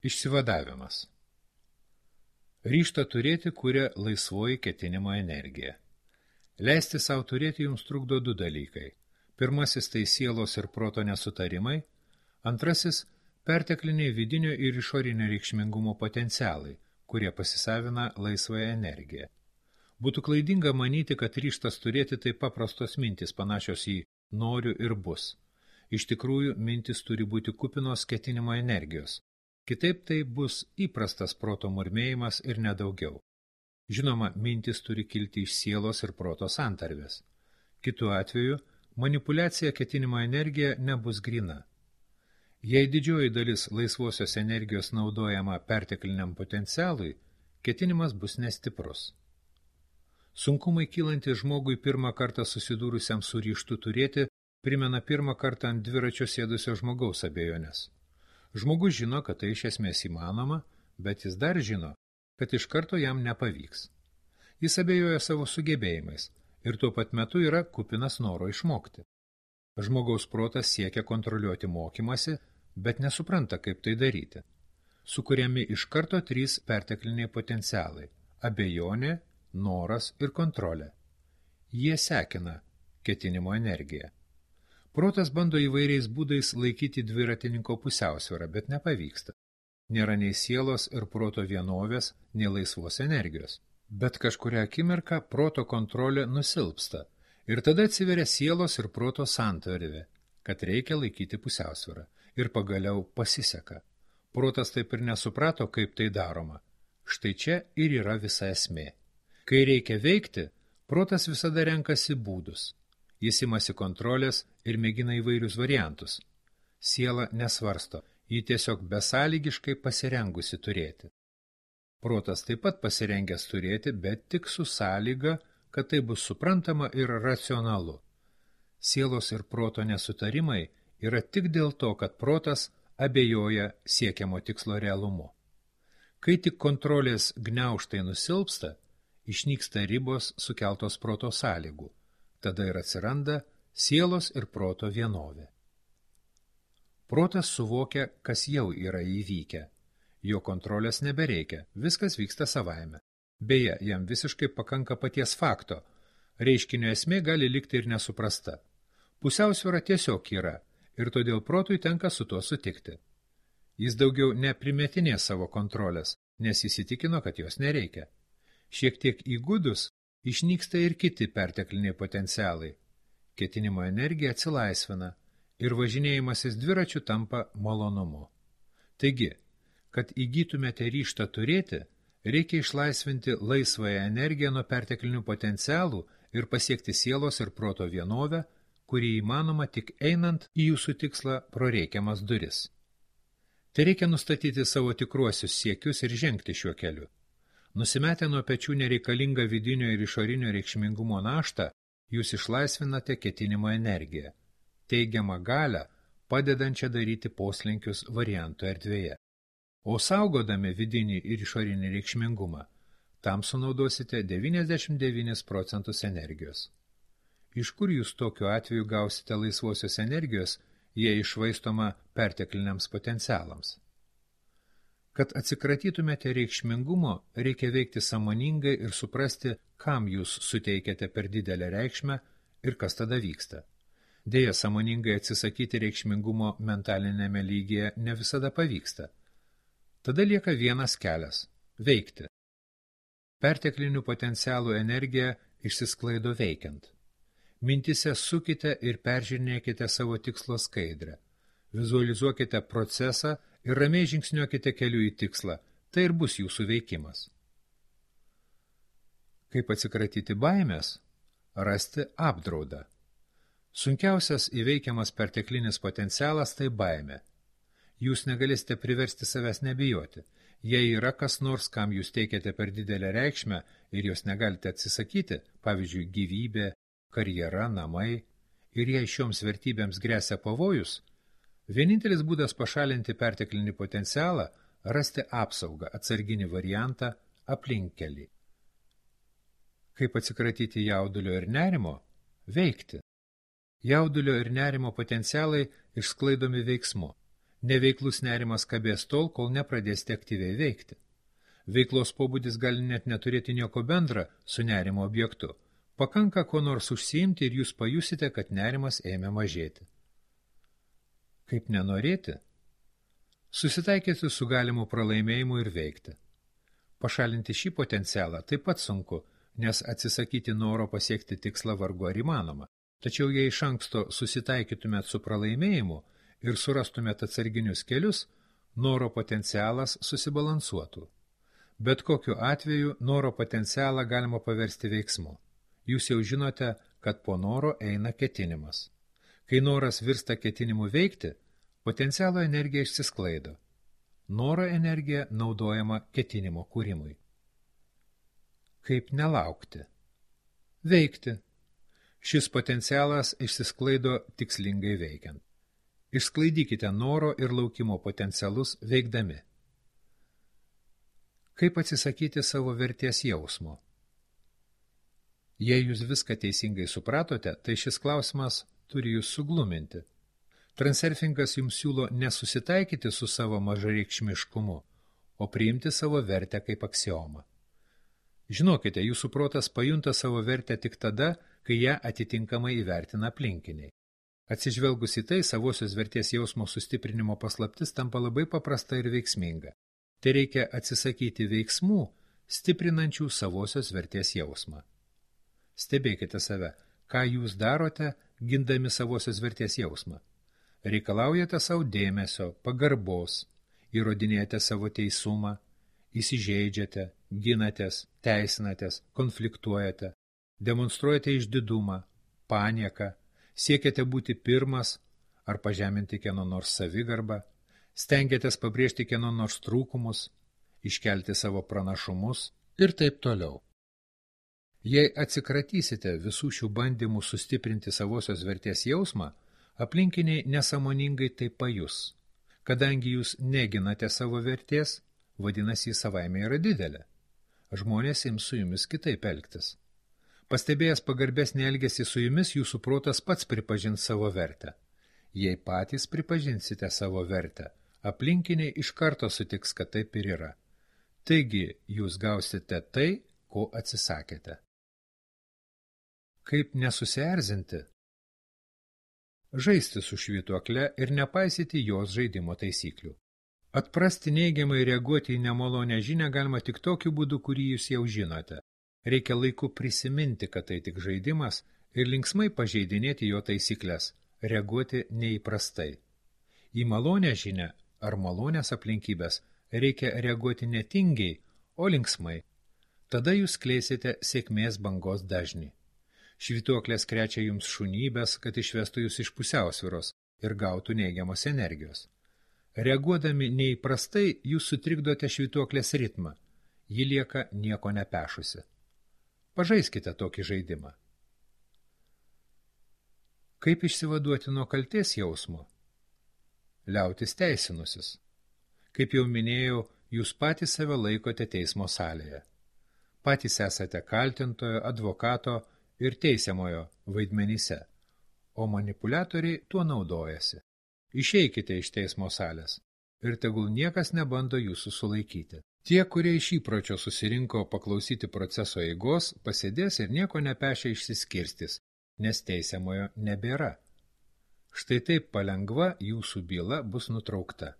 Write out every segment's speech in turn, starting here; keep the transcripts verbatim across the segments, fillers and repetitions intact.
Išsivadavimas. Ryžtą turėti kuria laisvoji ketinimo energija. Leisti savo turėti jums trukdo du dalykai. Pirmasis tai sielos ir proto nesutarimai, antrasis – pertekliniai vidinio ir išorinio reikšmingumo potencialai, kurie pasisavina laisvąją energiją. Būtų klaidinga manyti, kad ryžtas turėti tai paprastos mintys panašios į noriu ir bus. Iš tikrųjų, mintis turi būti kupinos ketinimo energijos. Kitaip tai bus įprastas proto murmėjimas ir nedaugiau. Žinoma, mintis turi kilti iš sielos ir proto santarvės. Kitu atveju, manipuliacija ketinimo energija nebus grina. Jei didžioji dalis laisvosios energijos naudojama pertekliniam potencialui, ketinimas bus nestiprus. Sunkumai kylantis žmogui pirmą kartą susidūrusiam su ryžtu turėti primena pirmą kartą ant dviračio sėdusio žmogaus abejonės. Žmogus žino, kad tai iš esmės įmanoma, bet jis dar žino, kad iš karto jam nepavyks. Jis abejoja savo sugebėjimais ir tuo pat metu yra kupinas noro išmokti. Žmogaus protas siekia kontroliuoti mokymasi, bet nesupranta, kaip tai daryti. Sukuriami iš karto trys pertekliniai potencialai – abejonė, noras ir kontrolė. Jie sekina ketinimo energiją. Protas bando įvairiais būdais laikyti dviratininko pusiausvyrą, bet nepavyksta. Nėra nei sielos ir proto vienovės, nei laisvos energijos. Bet kažkuria akimirka proto kontrolė nusilpsta ir tada atsiveria sielos ir proto santarvė, kad reikia laikyti pusiausvyrą. Ir pagaliau pasiseka. Protas taip ir nesuprato, kaip tai daroma. Štai čia ir yra visa esmė. Kai reikia veikti, protas visada renkasi būdus. Jis imasi kontrolės ir mėgina įvairius variantus. Siela nesvarsto, ji tiesiog besąlygiškai pasirengusi turėti. Protas taip pat pasirengęs turėti, bet tik su sąlyga, kad tai bus suprantama ir racionalu. Sielos ir proto nesutarimai yra tik dėl to, kad protas abejoja siekiamo tikslo realumu. Kai tik kontrolės gniaužtai nusilpsta, išnyksta ribos sukeltos proto sąlygų. Tada ir atsiranda sielos ir proto vienovė. Protas suvokia, kas jau yra įvykę. Jo kontrolės nebereikia, viskas vyksta savaime. Beje, jam visiškai pakanka paties fakto. Reiškinio esmė gali likti ir nesuprasta. Pusiausvyra tiesiog yra, ir todėl protui tenka su tuo sutikti. Jis daugiau neprimetinė savo kontrolės, nes įsitikino, kad jos nereikia. Šiek tiek įgudus, išnyksta ir kiti pertekliniai potencialai. Ketinimo energija atsilaisvina ir važinėjimasis dviračiu tampa malonumu. Taigi, kad įgytumėte ryžtą turėti, reikia išlaisvinti laisvąją energiją nuo perteklinių potencialų ir pasiekti sielos ir proto vienovę, kuri įmanoma tik einant į jūsų tikslą pro reikiamas duris. Tai reikia nustatyti savo tikruosius siekius ir žengti šiuo keliu. Nusimetę nuo pečių nereikalingą vidinio ir išorinio reikšmingumo naštą, jūs išlaisvinate ketinimo energiją, teigiamą galią, padedančią daryti poslinkius variantų erdvėje. O saugodami vidinį ir išorinį reikšmingumą, tam sunaudosite devyniasdešimt devynis procentus energijos. Iš kur jūs tokiu atveju gausite laisvosios energijos, jei išvaistoma pertekliniams potencialams? Kad atsikratytumėte reikšmingumo, reikia veikti sąmoningai ir suprasti, kam jūs suteikiate per didelę reikšmę ir kas tada vyksta. Deja, sąmoningai atsisakyti reikšmingumo mentalinėme lygyje ne visada pavyksta. Tada lieka vienas kelias – veikti. Perteklinių potencialų energija išsisklaido veikiant. Mintise sukite ir peržiūrinėkite savo tikslo skaidrę. Vizualizuokite procesą ir ramiai žingsniuokite keliu į tikslą, tai ir bus jūsų veikimas. Kaip atsikratyti baimės? Rasti apdraudą. Sunkiausias įveikiamas perteklinis potencialas tai baimė. Jūs negalėsite priversti savęs nebijoti. Jei yra kas nors, kam jūs teikiate per didelę reikšmę ir jos negalite atsisakyti, pavyzdžiui, gyvybė, karjera, namai, ir jei šioms vertybėms gresia pavojus, vienintelis būdas pašalinti perteklinį potencialą – rasti apsaugą, atsarginį variantą, aplinkkelį. Kaip atsikratyti jaudulio ir nerimo? Veikti. Jaudulio ir nerimo potencialai išsklaidomi veiksmu. Neveiklus nerimas kabės tol, kol nepradėsite aktyviai veikti. Veiklos pobūdis gali net neturėti nieko bendra su nerimo objektu. Pakanka ko nors užsiimti ir jūs pajusite, kad nerimas ėmė mažėti. Kaip nenorėti? Susitaikyti su galimu pralaimėjimu ir veikti. Pašalinti šį potencialą taip pat sunku, nes atsisakyti noro pasiekti tikslą vargu ar įmanoma. Tačiau jei iš anksto susitaikytumėt su pralaimėjimu ir surastumėt atsarginius kelius, noro potencialas susibalansuotų. Bet kokiu atveju noro potencialą galima paversti veiksmu. Jūs jau žinote, kad po noro eina ketinimas. Kai noras virsta ketinimu veikti, potencialo energija išsisklaido. Noro energija naudojama ketinimo kūrimui. Kaip nelaukti? Veikti. Šis potencialas išsisklaido tikslingai veikiant. Išsklaidykite noro ir laukimo potencialus veikdami. Kaip atsisakyti savo vertės jausmo? Jei jūs viską teisingai supratote, tai šis klausimas turi jūs sugluminti. Transurfingas jums siūlo nesusitaikyti su savo mažareikšmiškumu, o priimti savo vertę kaip aksiomą. Žinokite, jūsų protas pajunta savo vertę tik tada, kai ją atitinkamai įvertina aplinkiniai. Atsižvelgus į tai, savosios vertės jausmo sustiprinimo paslaptis tampa labai paprasta ir veiksminga. Tai reikia atsisakyti veiksmų, stiprinančių savosios vertės jausmą. Stebėkite save, ką jūs darote, gindami savosios vertės jausmą. Reikalaujate savo dėmesio, pagarbos, įrodinėjate savo teisumą, įsižeidžiate, ginatės, teisinatės, konfliktuojate, demonstruojate išdidumą, panieką, siekiate būti pirmas ar pažeminti kieno nors savigarbą, stengiatės pabrėžti kieno nors trūkumus, iškelti savo pranašumus ir taip toliau. Jei atsikratysite visų šių bandymų sustiprinti savosios vertės jausmą, aplinkiniai nesąmoningai tai pajus. Kadangi jūs neginate savo vertės, vadinasi, jis savaime yra didelė. Žmonės ims su jumis kitaip elgtis. Pastebėjęs pagarbesnį elgesį su jumis, jūsų protas pats pripažins savo vertę. Jei patys pripažinsite savo vertę, aplinkiniai iš karto sutiks, kad taip ir yra. Taigi, jūs gausite tai, ko atsisakėte. Kaip nesusierzinti? Žaisti su švytuokle ir nepaisyti jos žaidimo taisyklių. Atprasti neigiamai reaguoti į nemalonę žinią galima tik tokiu būdu, kurį jūs jau žinote. Reikia laiku prisiminti, kad tai tik žaidimas ir linksmai pažeidinėti jo taisyklės, reaguoti neįprastai. Į malonę žinią ar malonės aplinkybės reikia reaguoti ne tingiai, o linksmai. Tada jūs kleisite sėkmės bangos dažnį. Švytuoklės krečia jums šunybės, kad išvestų jūs iš pusiausvyros ir gautų neigiamos energijos. Reaguodami neįprastai, jūs sutrikdote švytuoklės ritmą. Ji lieka nieko nepešusi. Pažaiskite tokį žaidimą. Kaip išsivaduoti nuo kaltės jausmo? Liautis teisinusis. Kaip jau minėjau, jūs patys save laikote teismo salėje. Patys esate kaltintojo, advokato ir teisiamojo vaidmenyse, o manipuliatoriai tuo naudojasi. Išeikite iš teismo salės ir tegul niekas nebando jūsų sulaikyti. Tie, kurie iš įpročio susirinko paklausyti proceso eigos, pasėdės ir nieko nepešia išsiskirstys, nes teisiamojo nebėra. Štai taip palengva jūsų byla bus nutraukta.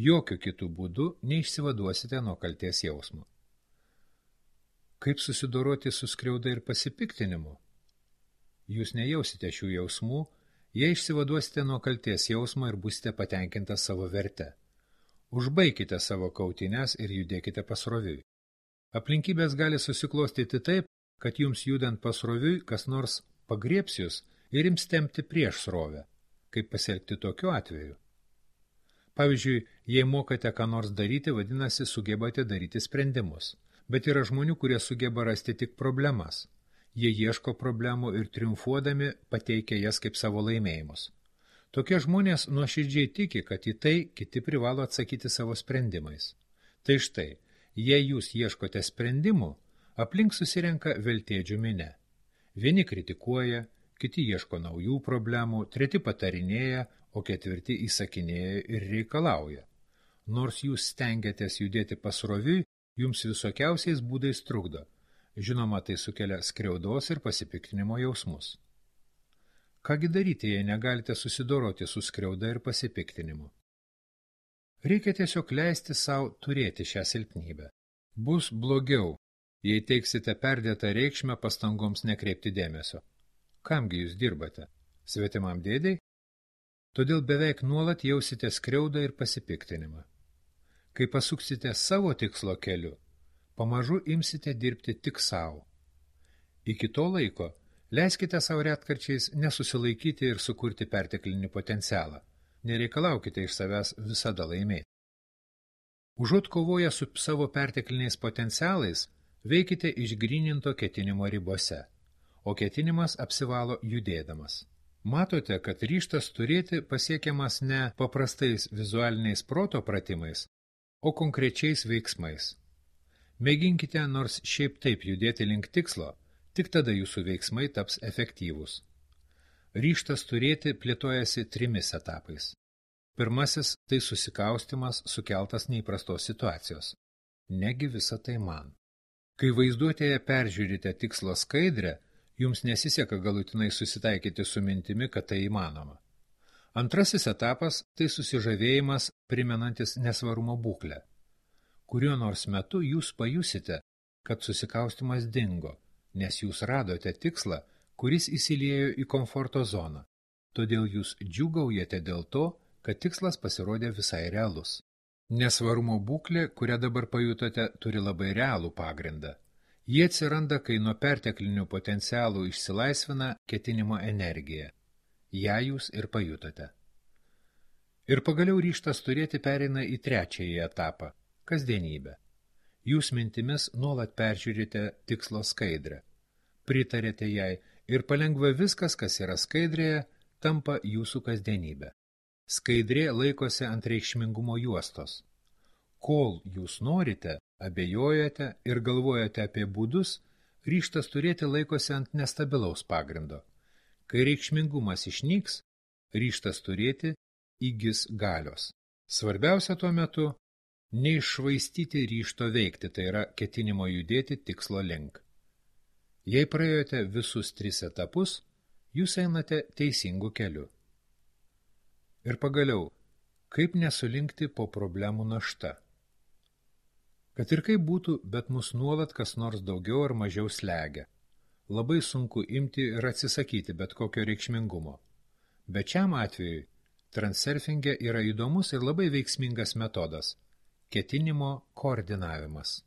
Jokiu kitų būdų neišsivaduosite nuo kaltės jausmo. Kaip susidoroti su skriauda ir pasipiktinimu? Jūs nejausite šių jausmų, jei išsivaduosite nuo kaltės jausmo ir būsite patenkintas savo verte. Užbaikite savo kautynes ir judėkite pasroviui. Aplinkybės gali susiklostyti taip, kad jums judant pasroviui kas nors pagriebs jūs ir ims tempti prieš srovę. Kaip pasielgti tokiu atveju? Pavyzdžiui, jei mokate ką nors daryti, vadinasi, sugebate daryti sprendimus. Bet yra žmonių, kurie sugeba rasti tik problemas. Jie ieško problemų ir triumfuodami pateikia jas kaip savo laimėjimus. Tokie žmonės nuoširdžiai tiki, kad į tai kiti privalo atsakyti savo sprendimais. Tai štai, jei jūs ieškote sprendimų, aplink susirenka veltėdžių minia. Vieni kritikuoja, kiti ieško naujų problemų, treti patarinėja, o ketvirti įsakinėja ir reikalauja. Nors jūs stengiatės judėti pasroviui, jums visokiausiais būdais trukdo. Žinoma, tai sukelia skriaudos ir pasipiktinimo jausmus. Kągi daryti, jei negalite susidoroti su skriauda ir pasipiktinimu? Reikia tiesiog leisti savo turėti šią silpnybę. Bus blogiau, jei teiksite perdėtą reikšmę pastangoms nekreipti dėmesio. Kamgi jūs dirbate? Svetimam dėdei? Todėl beveik nuolat jausite skriaudą ir pasipiktinimą. Kai pasuksite savo tikslo keliu, pamažu imsite dirbti tik savo. Iki to laiko leiskite savo retkarčiais nesusilaikyti ir sukurti perteklinį potencialą. Nereikalaukite iš savęs visada laimėti. Užuot kovoję su savo pertekliniais potencialais, veikite išgryninto ketinimo ribose, o ketinimas apsivalo judėdamas. Matote, kad ryžtas turėti pasiekiamas ne paprastais vizualiniais proto pratimais, o konkrečiais veiksmais. Mėginkite nors šiaip taip judėti link tikslo, tik tada jūsų veiksmai taps efektyvūs. Ryžtas turėti plėtojasi trimis etapais. Pirmasis – tai susikaustimas sukeltas neįprastos situacijos. Negi visa tai man. Kai vaizduotėje peržiūrite tikslo skaidrę, jums nesiseka galutinai susitaikyti su mintimi, kad tai įmanoma. Antrasis etapas – tai susižavėjimas primenantis nesvarumo būklę. Kuriuo nors metu jūs pajusite, kad susikaustimas dingo, nes jūs radote tikslą, kuris įsiliejo į komforto zoną. Todėl jūs džiūgaujate dėl to, kad tikslas pasirodė visai realus. Nesvarumo būklė, kurią dabar pajutote, turi labai realų pagrindą. Jie atsiranda, kai nuo perteklinių potencialų išsilaisvina ketinimo energija. Ja jūs ir pajutote. Ir pagaliau ryžtas turėti pereina į trečiąjį etapą – kasdienybę. Jūs mintimis nuolat peržiūrite tikslo skaidrę. Pritarėte jai ir palengva viskas, kas yra skaidrėje, tampa jūsų kasdienybė. Skaidrė laikosi ant reikšmingumo juostos. Kol jūs norite, abejojate ir galvojate apie būdus, ryžtas turėti laikosi ant nestabilaus pagrindo. Kai reikšmingumas išnyks, ryžtas turėti įgis galios. Svarbiausia tuo metu – neiššvaistyti ryžto veikti, tai yra ketinimo judėti tikslo link. Jei praėjote visus tris etapus, jūs einate teisingu keliu. Ir pagaliau, kaip nesulinkti po problemų našta? Kad ir kaip būtų, bet mus nuolat kas nors daugiau ar mažiau slegia. Labai sunku imti ir atsisakyti bet kokio reikšmingumo. Bet šiam atvejui transurfinge yra įdomus ir labai veiksmingas metodas – ketinimo koordinavimas.